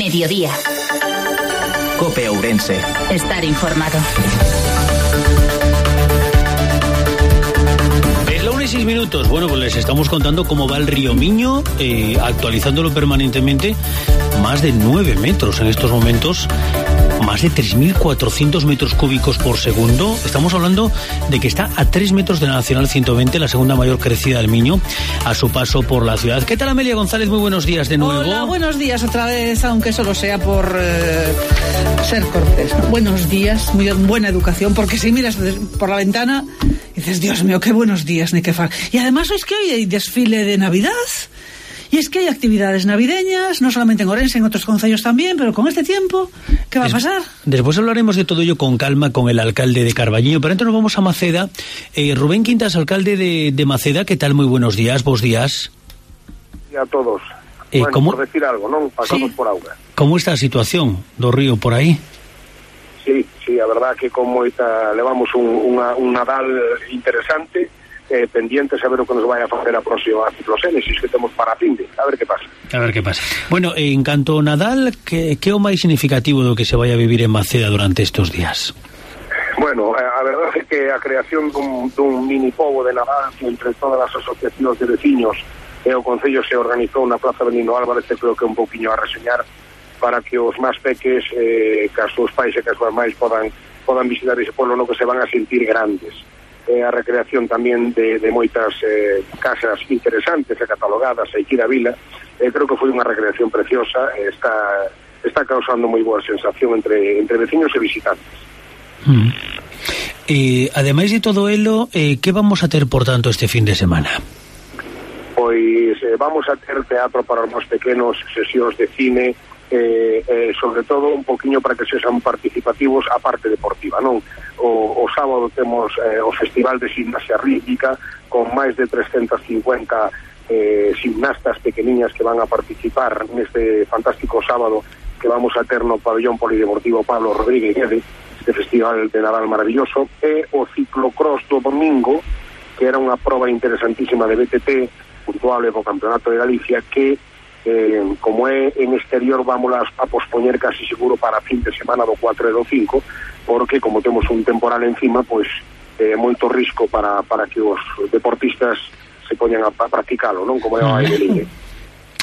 Mediodía. COPE Ourense. Estar informado. Es la 1:06. Bueno, pues les estamos contando cómo va el río Miño, actualizándolo permanentemente. Más de 9 metros en estos momentos. Más de 3.400 metros cúbicos por segundo. Estamos hablando de que está a 3 metros de la Nacional 120, la segunda mayor crecida del Miño, a su paso por la ciudad. ¿Qué tal, Amelia González? Muy buenos días de nuevo. Hola, buenos días otra vez, aunque solo sea por ser cortés. Buenos días, muy buena educación, porque si miras por la ventana dices, Dios mío, qué buenos días, ni qué far. Y además es que hoy hay desfile de Navidad. Y es que hay actividades navideñas, no solamente en Ourense, en otros concellos también, pero con este tiempo, ¿qué va a pasar? Después hablaremos de todo ello con calma con el alcalde de Carballiño, pero antes nos vamos a Maceda. Rubén Quintas, alcalde de Maceda, ¿qué tal? Muy buenos días, vos días. Y a todos. Bueno, ¿cómo? Por decir algo, ¿no? Pasamos sí. por auga. ¿Cómo está a situación do río por aí? Sí, a verdad que con moita levamos un Nadal interesante, pendientes a ver o que nos vai a facer a próxima ciclocénesis que temos para a finde, a ver que pasa. A ver que pasa. Bueno, en canto ao Nadal, que o máis significativo do que se vai a vivir en Maceda durante estes días? Bueno, a verdade é que a creación dun mini pobo de Nadal entre todas as asociacións de veciños e o Concello se organizou na Plaza Benigno Álvarez, creo que un pouquiño a reseñar para que os máis peques, que as súas pais e que as súas máis podan visitar ese pueblo no que se van a sentir grandes. A recreación tamén de moitas casas interesantes e catalogadas aquí da vila. Creo que foi unha recreación preciosa, está causando moi boa sensación entre veciños e visitantes. Ademais de todo elo, que vamos a ter, por tanto, este fin de semana? Pois vamos a ter teatro para os máis pequenos, sesións de cine, sobre todo un poquinho para que sexan participativos a parte deportiva, non? O sábado temos o Festival de Gimnasia Rítmica con máis de 350 gimnastas pequeniñas que van a participar neste fantástico sábado que vamos a ter no pabellón polideportivo Pablo Rodríguez Guede, este festival de Nadal maravilloso, e o ciclocross do domingo, que era unha proba interesantísima de BTT, puntuable po Campeonato de Galicia, que como é en exterior vamos a pospoñer casi seguro para fin de semana do 4 e do 5, porque como temos un temporal encima, pois é moito risco para que os deportistas se poñan a practicalo, non? Como é o aire libre.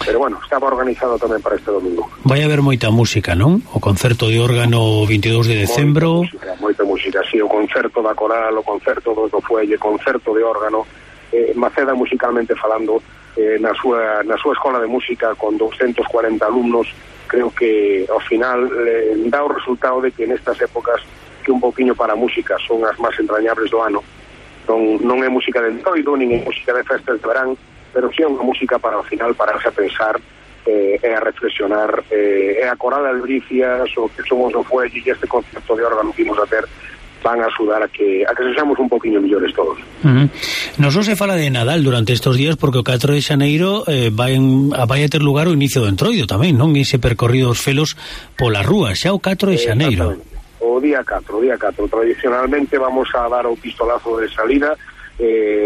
Pero bueno, estaba organizado tamén para este domingo. Vai haber moita música, non? O concerto de órgano 22 de decembro. Moita música, sí, o concerto da coral, o concerto do fuelle, concerto de órgano. Maceda musicalmente falando, na súa escola de música con 240 alumnos, creo que ao final dá o resultado de que nestas épocas que un pouquiño para a música son as máis entrañables do ano. Non é música de entroido, nin é música de festas de verán, pero sí é unha música para ao final pararse a pensar e a reflexionar, e a coral de Albricias, o que somos o fuelle e este concerto de órgano que imos a ter van a axudar a que sexamos un poquinho millores todos. Non só se fala de Nadal durante estes días, porque o 4 de xaneiro vai a ter lugar o inicio do entroido tamén, non? Ese percorrido dos felos pola rúa, xa o 4 de xaneiro. O día 4. Tradicionalmente vamos a dar o pistolazo de salida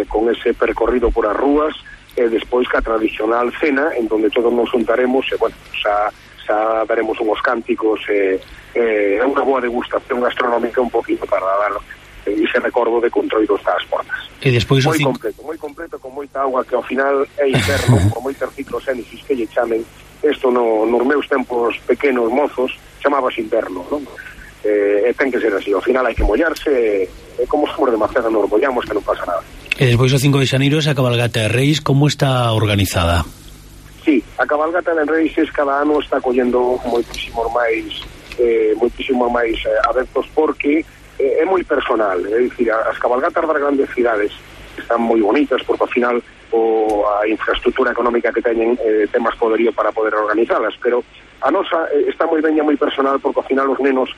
con ese percorrido por as rúas, e despois que a tradicional cena, en donde todos nos juntaremos, e bueno, xa daremos unhos cánticos, unha boa degustación gastronómica un poquinho para dar ese recordo de que o entroido está ás portas. E despois moi completo, con moita auga, que ao final é inverno, con moitas ciclocénesis que lle chamen. Isto nos meus tempos pequenos mozos chamabas inverno, non? E ten que ser así, ao final hai que mollarse, e como somos de Maceda nos mollamos, que non pasa nada. E despois o 5 de xaneiro esa cabalgata de Reis, como está organizada? Sí, a cabalgata de Reis cada ano está collendo moitísimos máis adeptos, porque é moi personal, é dicir, as cabalgatas das grandes cidades están moi bonitas, porque ao final a infraestructura económica que teñen ten máis poderío para poder organizalas, pero a nosa está moi ben e moi personal, porque ao final os nenos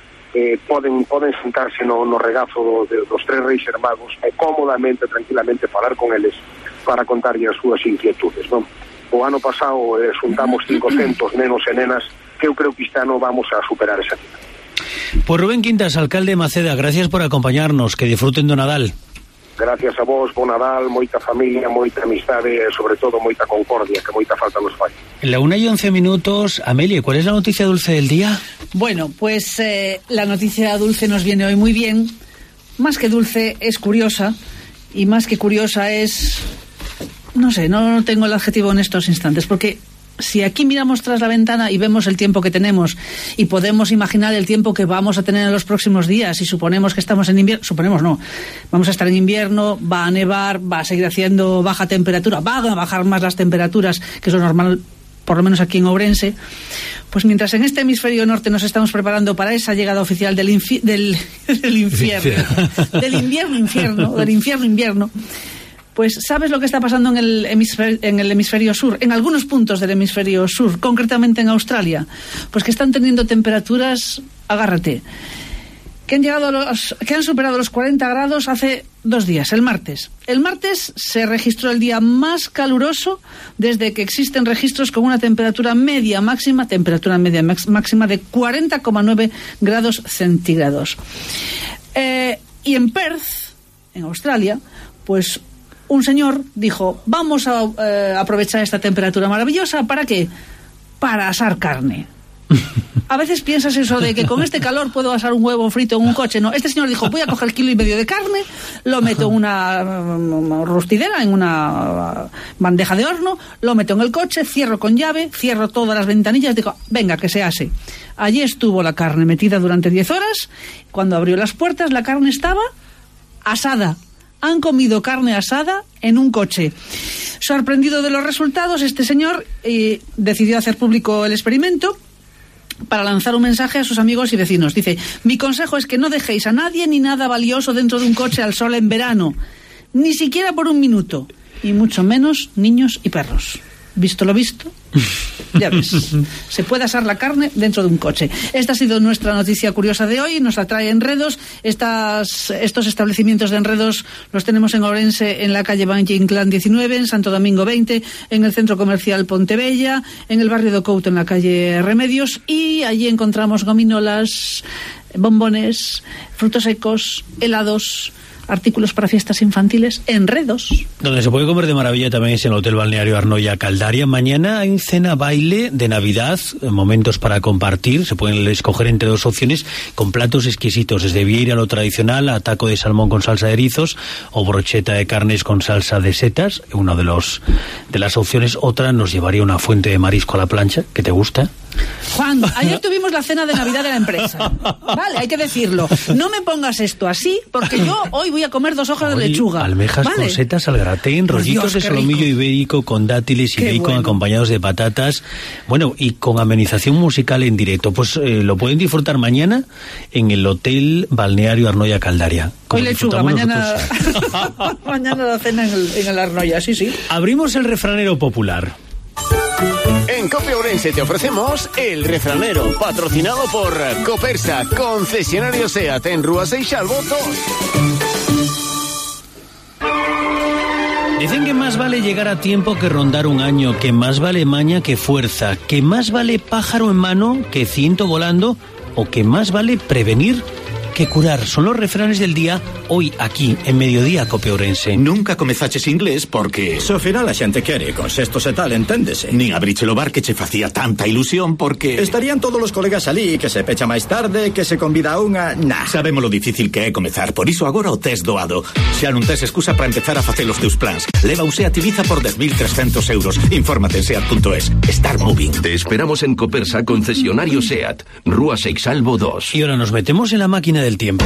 poden sentarse no regazo dos tres reis hermanos e cómodamente, tranquilamente falar con eles para contarlle as súas inquietudes, non? O ano pasado xuntamos 500 nenos e nenas, que eu creo que este ano vamos a superar esa cifra. Pues Rubén Quintas, alcalde de Maceda, gracias por acompañarnos, que disfruten do Nadal. gracias a vos, bon Nadal, moita familia, moita amistade e sobre todo moita concordia, que moita falta nos fai. La 1:11, Amelia, ¿cuál es la noticia dulce del día? Bueno, pues la noticia dulce nos viene hoy muy bien. Más que dulce, es curiosa. Y más que curiosa es... No sé, no tengo el adjetivo en estos instantes, porque si aquí miramos tras la ventana y vemos el tiempo que tenemos y podemos imaginar el tiempo que vamos a tener en los próximos días y suponemos que estamos en invierno, suponemos no, vamos a estar en invierno, va a nevar, va a seguir haciendo baja temperatura, van a bajar más las temperaturas, que eso es normal, por lo menos aquí en Ourense, pues mientras en este hemisferio norte nos estamos preparando para esa llegada oficial del invierno, pues ¿sabes lo que está pasando en el hemisferio sur? En algunos puntos del hemisferio sur, concretamente en Australia, pues que están teniendo temperaturas, agárrate, que han superado los 40 grados hace 2 días, el martes. El martes se registró el día más caluroso desde que existen registros con una temperatura media máxima de 40,9 grados centígrados. Y en Perth, en Australia, pues un señor dijo, vamos a aprovechar esta temperatura maravillosa, ¿para qué? Para asar carne. A veces piensas eso de que con este calor puedo asar un huevo frito en un coche. No, este señor dijo, voy a coger 1,5 kilos de carne, lo meto en una rostidera, en una bandeja de horno, lo meto en el coche, cierro con llave, cierro todas las ventanillas, digo, venga, que se ase. Allí estuvo la carne metida durante 10 horas. Cuando abrió las puertas, la carne estaba asada. Han comido carne asada en un coche. Sorprendido de los resultados, este señor decidió hacer público el experimento para lanzar un mensaje a sus amigos y vecinos. Dice, mi consejo es que no dejéis a nadie ni nada valioso dentro de un coche al sol en verano, ni siquiera por 1 minuto, y mucho menos niños y perros. Visto lo visto, ya ves, se puede asar la carne dentro de un coche. Esta ha sido nuestra noticia curiosa de hoy, nos la trae Enredos. Estos establecimientos de Enredos los tenemos en Ourense, en la calle Valle Inclán 19, en Santo Domingo 20, en el centro comercial Pontebella, en el barrio de Couto, en la calle Remedios, y allí encontramos gominolas, bombones, frutos secos, helados, artículos para fiestas infantiles, Enredos. Donde se puede comer de maravilla también es en el Hotel Balneario Arnoia Caldaria. Mañana hay cena baile de Navidad, momentos para compartir. Se pueden escoger entre 2 opciones con platos exquisitos, desde vieira, lo tradicional, a taco de salmón con salsa de erizos o brocheta de carnes con salsa de setas. Una de las opciones. Otra nos llevaría una fuente de marisco a la plancha, que te gusta. Juan, ayer tuvimos la cena de Navidad de la empresa. Vale, hay que decirlo. No me pongas esto así, porque yo hoy voy a comer 2 hojas de lechuga. Almejas, ¿vale?, con setas al gratén, rollitos de solomillo ibérico con dátiles y bacon, bueno, acompañados de patatas. Bueno, y con amenización musical en directo. Pues lo pueden disfrutar mañana en el Hotel Balneario Arnoia Caldaria. Hoy lechuga, mañana mañana la cena en el Arnoia, sí. Abrimos el refranero popular. En COPE Ourense te ofrecemos El Refranero, patrocinado por Copersa, concesionario SEAT en Rúa Seixalbo 2. Dicen que más vale llegar a tiempo que rondar un año, que más vale maña que fuerza, que más vale pájaro en mano que ciento volando, o que más vale prevenir que curar. Son los refranes del día hoy aquí en Mediodía COPE Ourense. Nunca comezaches inglés porque so final a xente quere, con sextos e tal, enténdese. Nin abriche o bar que che facía tanta ilusión porque estarían todos os colegas alí, que se pecha máis tarde, que se convida a unha... Nah. Sabemos lo difícil que é comezar, por iso agora o tes doado. Xa non tes excusa para empezar a facer os teus plans. Leva un SEAT Ibiza por 10.300 euros. Infórmate en SEAT.es. Start moving. Te esperamos en Copersa, concesionario SEAT, Rúa Seixalbo 2. Y ahora nos metemos en la máquina del tiempo.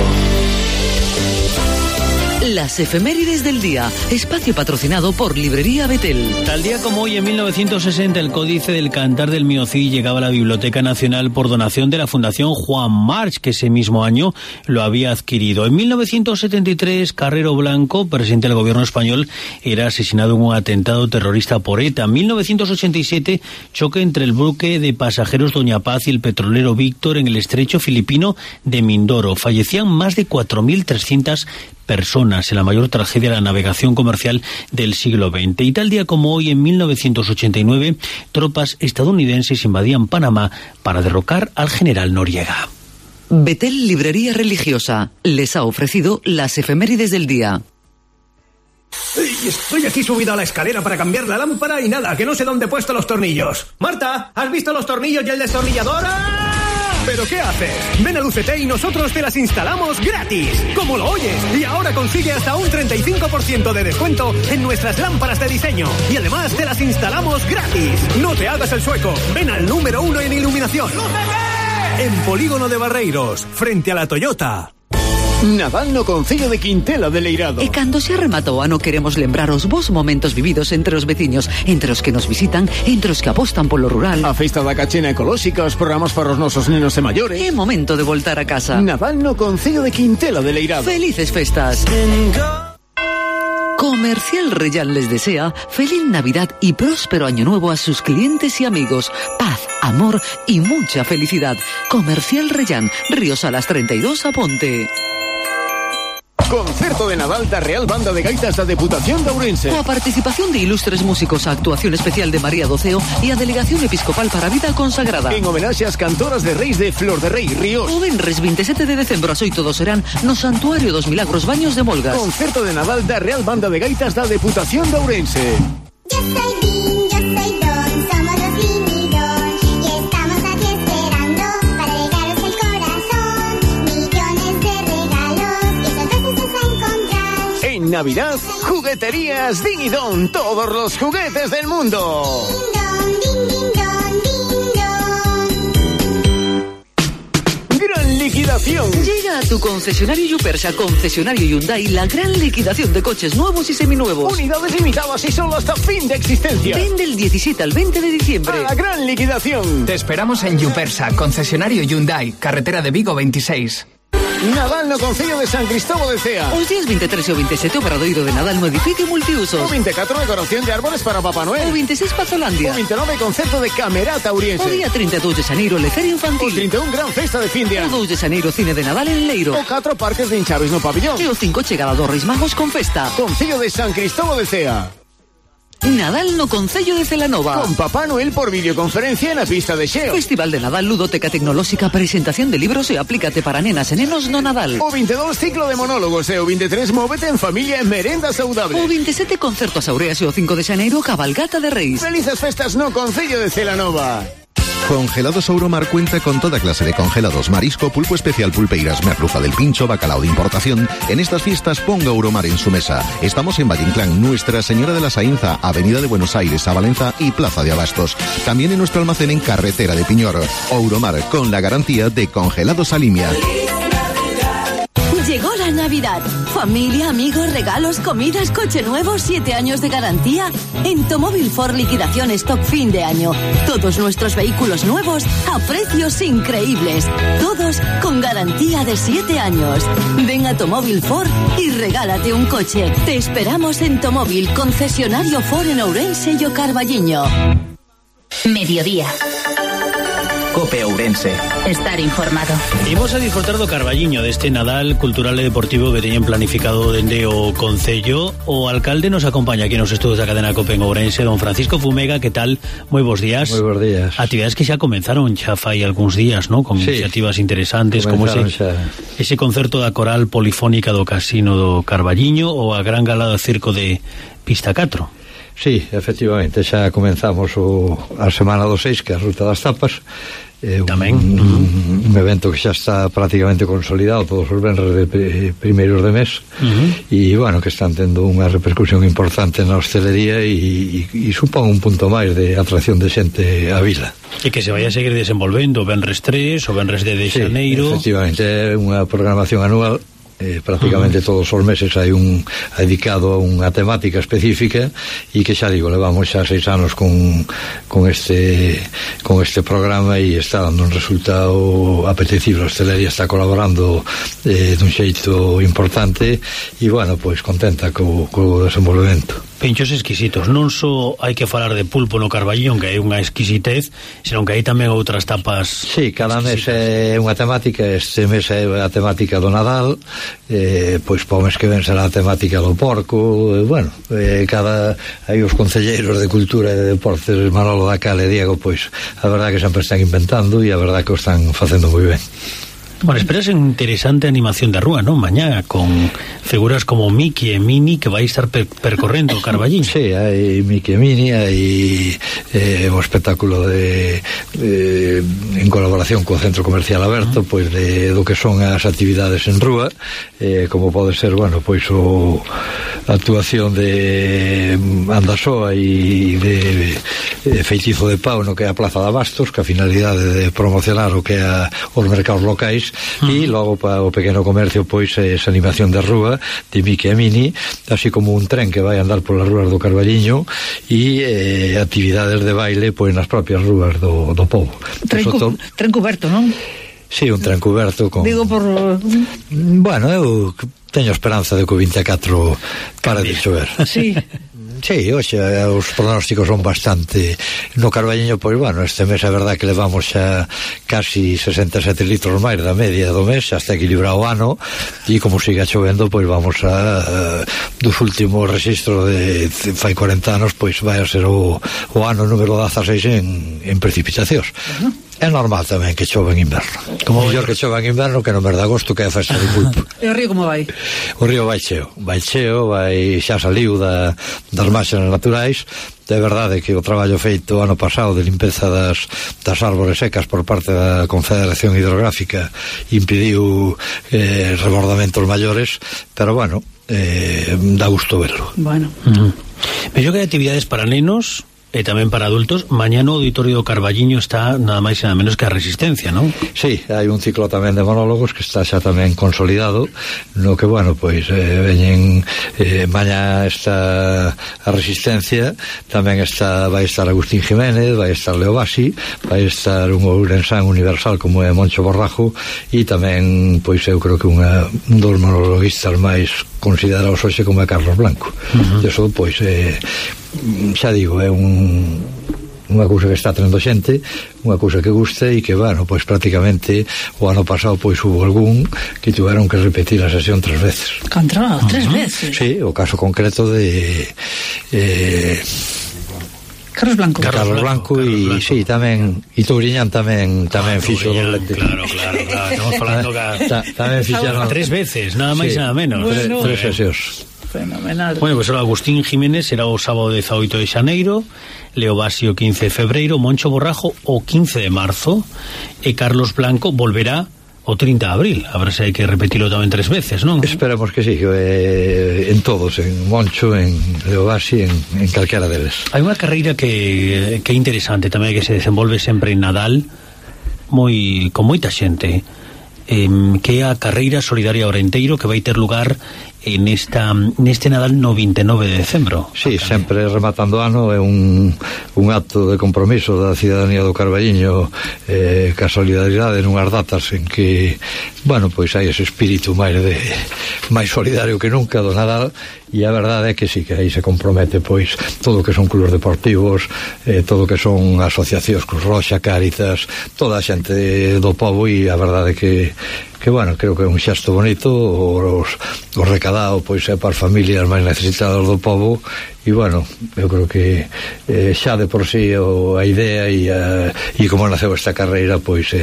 Las efemérides del día, espacio patrocinado por Librería Betel. Tal día como hoy, en 1960, el Códice del Cantar del Miocí llegaba a la Biblioteca Nacional por donación de la Fundación Juan March, que ese mismo año lo había adquirido. En 1973, Carrero Blanco, presidente del gobierno español, era asesinado en un atentado terrorista por ETA. En 1987, choque entre el buque de pasajeros Doña Paz y el petrolero Víctor en el estrecho filipino de Mindoro. Fallecían más de 4.300 personas en la mayor tragedia de la navegación comercial del siglo XX. Y tal día como hoy, en 1989, tropas estadounidenses invadían Panamá para derrocar al general Noriega. Betel Librería Religiosa les ha ofrecido las efemérides del día. Estoy aquí subido a la escalera para cambiar la lámpara y nada, que no sé dónde he puesto los tornillos. Marta, ¿has visto los tornillos y el destornillador? ¡Ah! ¿Pero qué haces? Ven a Lucete y nosotros te las instalamos gratis. Como lo oyes. Y ahora consigue hasta un 35% de descuento en nuestras lámparas de diseño. Y además te las instalamos gratis. No te hagas el sueco. Ven al número 1 en iluminación. ¡Lucete! En Polígono de Barreiros, frente a la Toyota. Nadal no Concello de Quintela de Leirado. E cando se rematou ano queremos lembrar os bons momentos vividos entre os veciños, entre os que nos visitan, entre os que apostan polo rural. A festa da cachena ecolóxica, os programas para os nosos nenos e maiores. É momento de voltar a casa. Nadal no Concello de Quintela de Leirado. Felices festas. Comercial Reyán les desea feliz Navidad y próspero año nuevo a sus clientes y amigos. Paz, amor y mucha felicidad. Comercial Reyán, Ríos Salas 32 a Ponte. Concerto de Nadal da Real Banda de Gaitas da Deputación de Ourense. Coa participación de ilustres músicos, a actuación especial de María Doceo e a Delegación Episcopal para a Vida Consagrada. En homenaxe ás cantoras de Reis de Flor de Rei, Ríos. O venres 27 de decembro ás 8 do serán no Santuario dos Milagros Baños de Molgas. Concerto de Nadal da Real Banda de Gaitas da Deputación de Ourense. Yo soy Vin, yo soy Don, somos los Vin y Don, y estamos aquí esperando para regalos el corazón, millones de regalos que sorpresas vas a encontrar. En Navidad, jugueterías Din y Don, todos los juguetes del mundo. Gran liquidación. Llega a tu concesionario Yupersa, concesionario Hyundai, la gran liquidación de coches nuevos y seminuevos. Unidades limitadas y solo hasta fin de existencia. Ven del 17 al 20 de diciembre. A la gran liquidación. Te esperamos en Yupersa, concesionario Hyundai, carretera de Vigo 26. Nadal no Concello de San Cristóbal de Cea. Os días 23 e o 27 o Paradoiro de Nadal no edificio multiusos. O 24 decoración de árboles para Papá Noel. O 26 Pazolandia. O 29 concerto de Camerata Ouriense. O día 32 de xaneiro Lecer Infantil. O 31 gran festa de fin de ano. O 2 de xaneiro cine de Nadal en Leiro. O 4 parques de hinchaves no pabillón. E o 5 chegada dos Reis Magos con festa. Concello de San Cristóbal de Cea. Nadal no Concello de Celanova. Con Papá Noel por videoconferencia na pista de Xeo. Festival de Nadal, ludoteca tecnolóxica, presentación de libros e aplícate para nenas e nenos no Nadal. O 22 ciclo de monólogos e o 23 móvete en familia en merenda saudable. O 27 concerto a Saureas e o 5 de xaneiro cabalgata de Reis. Felices festas no Concello de Celanova. Congelados Ouromar cuenta con toda clase de congelados, marisco, pulpo especial, pulpeiras, merluza del pincho, bacalao de importación. En estas fiestas ponga Ouromar en su mesa. Estamos en Valle Inclán, Nuestra Señora de la Sainza, Avenida de Buenos Aires, a Valenza y Plaza de Abastos. También en nuestro almacén en Carretera de Piñor. Ouromar, con la garantía de congelados Alimia. Llegó la Navidad. Familia, amigos, regalos, comidas, coche nuevo, 7 años de garantía. En Tomóvil Ford liquidación stock fin de año. Todos nuestros vehículos nuevos a precios increíbles. Todos con garantía de 7 años. Ven a Tomóvil Ford y regálate un coche. Te esperamos en Tomóvil, concesionario Ford en Ourense y o Carballiño. Mediodía. Cope Ourense. Estar informado. Imos a disfrutar do Carballiño deste Nadal cultural e deportivo que teñen planificado dende o Concello. O alcalde nos acompaña aquí nos estudos da cadena Cope en Ourense, don Francisco Fumega. Que tal? Moi bons días. Moi bons días. Actividades que xa comenzaron xa fai algúns días, ¿no? Con iniciativas interesantes como ese concerto da coral polifónica do Casino do Carballiño ou a gran gala do circo de Pista 4. Sí, efectivamente, xa comenzamos a semana do 6, que é a Ruta das Tapas. Tamén un evento que xa está prácticamente consolidado todos os venres de primeiros de mes e, bueno, que están tendo unha repercusión importante na hostelería e supón un punto máis de atracción de xente á vila. E que se vai a seguir desenvolvendo o venres 3, o venres de xaneiro. Efectivamente, é unha programación anual. Prácticamente todos os meses hai un dedicado a unha temática específica e que xa digo, levamos xa 6 anos con este programa e está dando un resultado apetecible. A hostelería está colaborando dun xeito importante e, bueno, pois contenta co desenvolvemento. Pinchos exquisitos, non só hai que falar de pulpo no Carballiño, que hai unha exquisitez, senón que hai tamén outras tapas. Sí, cada mes é unha temática. Este mes é a temática do Nadal, pois para o mes que ven será a temática do porco. Bueno, hai os concelleiros de Cultura e de Deportes, Manolo Dacal e Diego, pois a verdade que sempre están inventando e a verdade que o están facendo moi ben. Bueno, esperas interesante animación de rúa, ¿no? Mañá, con figuras como Mickey e Minnie que vai estar percorrendo o Carballiño. Sí, hai Mickey e Minnie, hai un espectáculo en colaboración co Centro Comercial Aberto, pois do que son as actividades en rúa, como pode ser, bueno, pois a actuación de Andasoa e de Feitizo de Pau no que é a Plaza de Abastos, que a finalidade de promocionar o que é os mercados locais, e logo para o pequeno comercio pois esa animación de rúa de Mickey e Minnie, así como un tren que vai andar polas rúas do Carballiño e actividades de baile pois nas propias rúas do povo. Tren cuberto, non? Sí, un tren cuberto con... Digo por... Bueno, eu teño esperanza de que o 24 para de chover. Sí. Sí, oxe, os pronósticos son bastante... No Carballiño, pois, bueno, este mes é verdad que levamos xa casi 67 litros máis da media do mes, xa está equilibrado o ano, e como siga chovendo, pois vamos a dos últimos registros de fai 40 anos, pois vai a ser o ano número 16 en precipitacións. É normal tamén que chova en inverno. Como mellor que chova en inverno que no mes de agosto, que é a festa do pulpo. E o río como vai? O río vai cheo, xa saliu das marxas naturais. É verdade que o traballo feito ano pasado de limpeza das árbores secas por parte da Confederación Hidrográfica impediu rebordamentos maiores, pero bueno, dá gusto verlo. Bueno. Pero que hai actividades para nenos e tamén para adultos. Mañá no Auditorio do Carballiño está nada máis e nada menos que a Resistencia, non? Sí, hai un ciclo tamén de monólogos que está xa tamén consolidado, no que, bueno, pois veñen mañá está a Resistencia, tamén vai estar Agustín Jiménez, vai estar Leo Basi, vai estar un ourensán universal como é Moncho Borrajo, e tamén, pois eu creo que un dos monologuistas máis considerados hoxe como é Carlos Blanco. Eso, pois, xa digo, é unha cousa que está trendo xente, unha cousa que gusta e que, bueno, pois prácticamente o ano pasado pois hubo algún que tuveron que repetir a sesión 3 veces. Contra, 3 veces? Sí, o caso concreto de Carlos Blanco e sí, tamén e Touriñán tamén fixo doblete. Claro, estamos falando que tamén fixaron 3 veces, nada máis nada menos. 3 sesións. Fenomenal. Bueno, pues Agustín Jiménez será o sábado 18 de xaneiro, Leo Basi o 15 de febreiro, Moncho Borrajo o 15 de marzo e Carlos Blanco volverá o 30 de abril. Habrá se hai que repetirlo tamén 3 veces, non? Esperemos que sí, en todos, en Moncho, en Leo Basi, en calquera deles. Hai unha carreira que é interesante tamén, que se desenvolve sempre en Nadal, con moita xente, que é a carreira solidaria Orenteiro, que vai ter lugar neste Nadal no 29 de decembro. Sí, sempre rematando ano é un acto de compromiso da cidadanía do Carballiño ca solidaridade nunhas datas en que, bueno, pois hai ese espírito máis solidario que nunca do Nadal, e a verdade é que sí, que aí se compromete pois todo o que son clubes deportivos, todo o que son asociacións, Cruz Roxa, Cáritas, toda a xente do pobo, e a verdade que bueno, creo que é un xesto bonito o recadado pois é para as familias máis necesitadas do povo, e bueno, eu creo que xa de por sí a idea e como naceu esta carreira pois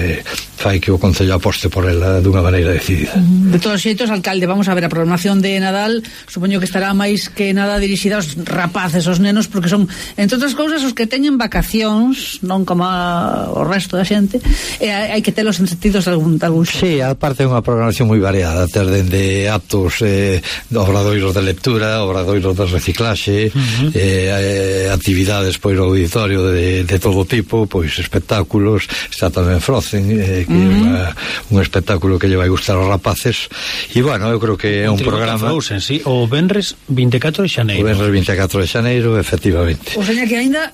fai que o Concello aposte por ela dunha maneira decidida. De todos xeitos, alcalde, vamos a ver a programación de Nadal, supoño que estará máis que nada dirixida aos rapaces, aos nenos, porque son, entre outras cousas, os que teñen vacacións, non como o resto da xente, e hai que telos entretidos de algún xeito. Sí, aparte é unha programación moi variada, ter dende actos obradoiros de lectura, obradoiros de reciclaxe, actividades pois no auditorio de todo tipo, pois espectáculos, está tamén Frozen, que é un espectáculo que lle vai gustar aos rapaces, e bueno, eu creo que é un programa Frozen, sí, o Venres 24 de xaneiro. O Venres 24 de xaneiro, efectivamente. O sea que ainda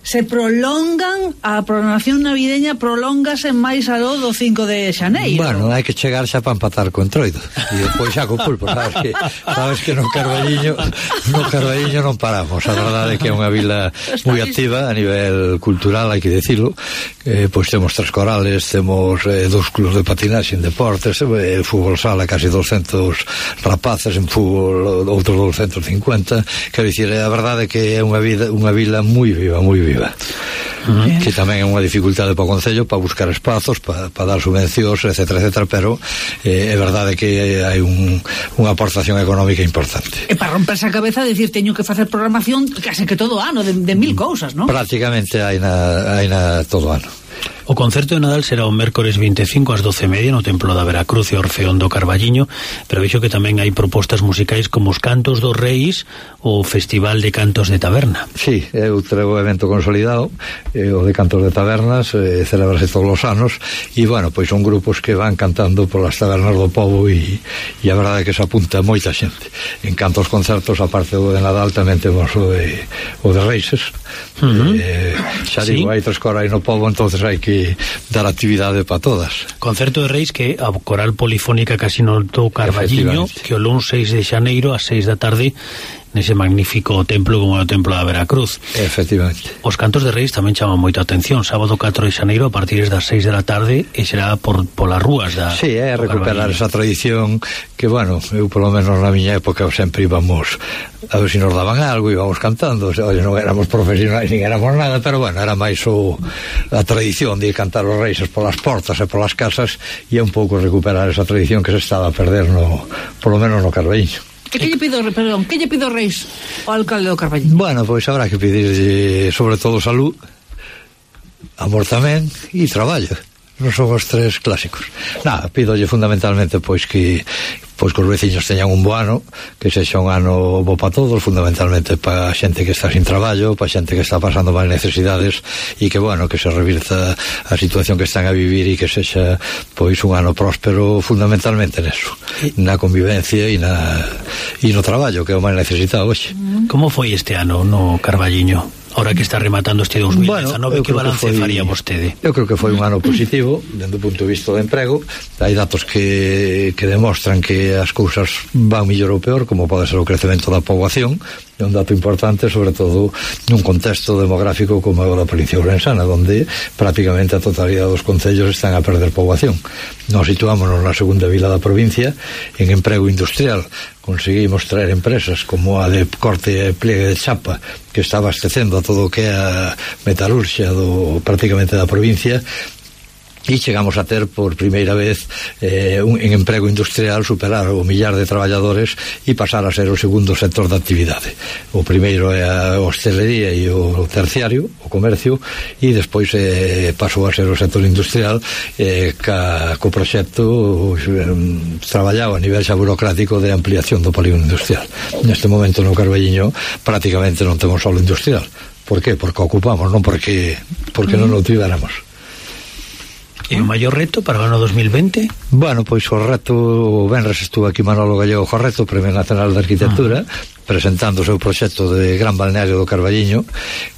se prolongan, a programación navideña prolóngase máis aló do 5 de xaneiro. Bueno, hai que chegar xa para empatar co Entroido e depois xa co pulpo, sabes que no Carballiño non paramos. A verdade é que é unha vila moi activa a nivel cultural, hai que decirlo. Pois temos 3 corales, temos 2 clubs de patinaxe en deportes, fútbol sala casi 200 rapaces, en fútbol outros 250. Quero dicir, a verdade é que é unha vila moi viva, moi viva. que tamén é unha dificultade para o Concello para buscar espazos, para dar subvencións, etcétera, etcétera, pero é verdade que hai unha aportación económica importante. E para romperse a cabeza decir teño que facer programación case que todo ano de mil cousas, non? Prácticamente hai na todo ano. O concerto de Nadal será o mércores 25 ás 12:30 no Templo da Veracruz e Orfeón do Carballiño, pero vexo que tamén hai propostas musicais como os Cantos dos Reis ou o Festival de Cantos de Taberna. Sí, é outro evento consolidado, o de Cantos de Tabernas, celebrase todos os anos, e, bueno, pois son grupos que van cantando polas tabernas do povo e a verdade é que se apunta moita xente. En canto aos concertos, aparte do de Nadal, tamén temos o de Reises. Xa digo, hai 3 corais no povo, entonces hai que dar actividade para todas. Concerto de Reis que a Coral Polifónica Casino do Carballiño, que o luns 6 de xaneiro ás 6 da tarde nese magnífico templo como é o Templo da Veracruz. Efectivamente. Os Cantos de Reis tamén chaman moita atención. Sábado 4 de xaneiro a partir das 6 da tarde e será polas rúas da... Sí, é recuperar esa tradición que, bueno, eu polo menos na miña época sempre íbamos a ver se nos daban algo, íbamos cantando, oye, non éramos profesionais nin éramos nada, pero bueno, era máis a tradición de cantar os reis polas portas e polas casas, e é un pouco recuperar esa tradición que se estaba a perder polo menos no Carballiño. Que lle pido Reis ao alcalde do Carballiño? Bueno, pois habrá que pedirlle sobre todo salud, amor tamén e traballo. Non son os 3 clásicos. Pídolle fundamentalmente pois que os veciños teñan un bo ano, que sexa un ano bo para todos, fundamentalmente para a xente que está sin traballo, para a xente que está pasando máis necesidades, e que, bueno, que se revirta a situación que están a vivir e que sexa pois un ano próspero fundamentalmente neso, na convivencia e no traballo, que é o máis necesitado hoxe. Como foi este ano no Carballiño? Ahora que está rematando este 2019, que balance faría vostede? Eu creo que foi un ano positivo dende o punto de vista do emprego. Hai datos que demostran que as cousas van mellor ou peor, como pode ser o crecemento da poboación. É un dato importante, sobre todo nun contexto demográfico como é o da provincia ourensana, onde prácticamente a totalidade dos concellos están a perder poboación. Nos situámonos na segunda vila da provincia en emprego industrial. Conseguimos traer empresas como a de corte e pliegue de chapa, que está abastecendo a todo o que é a metalurxia prácticamente da provincia, e chegamos a ter por primeira vez en emprego industrial superar o 1.000.000 de traballadores e pasar a ser o segundo sector de actividade. O primeiro é a hostelería e o terciario, o comercio, e despois pasou a ser o sector industrial co proxecto traballado a nivel xa burocrático de ampliación do polígono industrial. Neste momento no Carballiño prácticamente non temos solo industrial. Por qué? Porque ocupamos, non porque non o tivéramos. E o maior reto para o ano 2020? Bueno, pois o reto, o venres estuvo aquí Manolo Gallego Jorreto, Premio Nacional de Arquitectura, presentando o seu proxecto de Gran Balneario do Carballiño.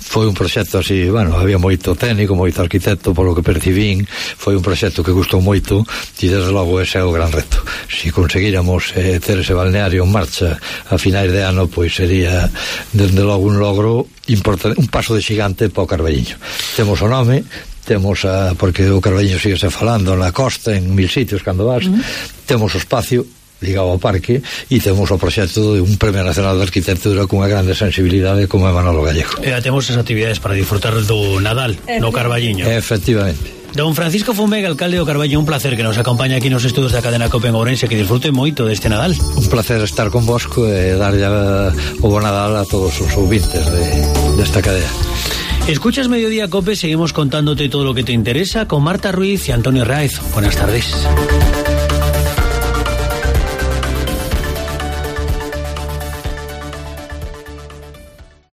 Foi un proxecto así, bueno, había moito técnico, moito arquitecto, polo que percibín, foi un proxecto que gustou moito, e desde logo ese é o gran reto. Se conseguíramos ter ese balneario en marcha a finais de ano, pois sería desde logo un logro importante, un paso de xigante para o Carballiño. Temos o nome, porque o Carballiño sigue se falando na costa, en 1000 sitios cando vas, temos o espacio ligado ao parque e temos o proxecto de un Premio Nacional de Arquitectura cunha grande sensibilidade como é Manolo Gallego. E temos as actividades para disfrutar do Nadal no Carballiño. Efectivamente. Don Francisco Fumega, alcalde do Carballiño, un placer que nos acompaña aquí nos estudos da cadena Cope en Ourense, que disfrute moito deste Nadal. Un placer estar con vosco e darlle o bo Nadal a todos os ouvintes desta cadena. Escuchas Mediodía Cope, seguimos contándote todo lo que te interesa con Marta Ruiz y Antonio Raiz. Buenas tardes.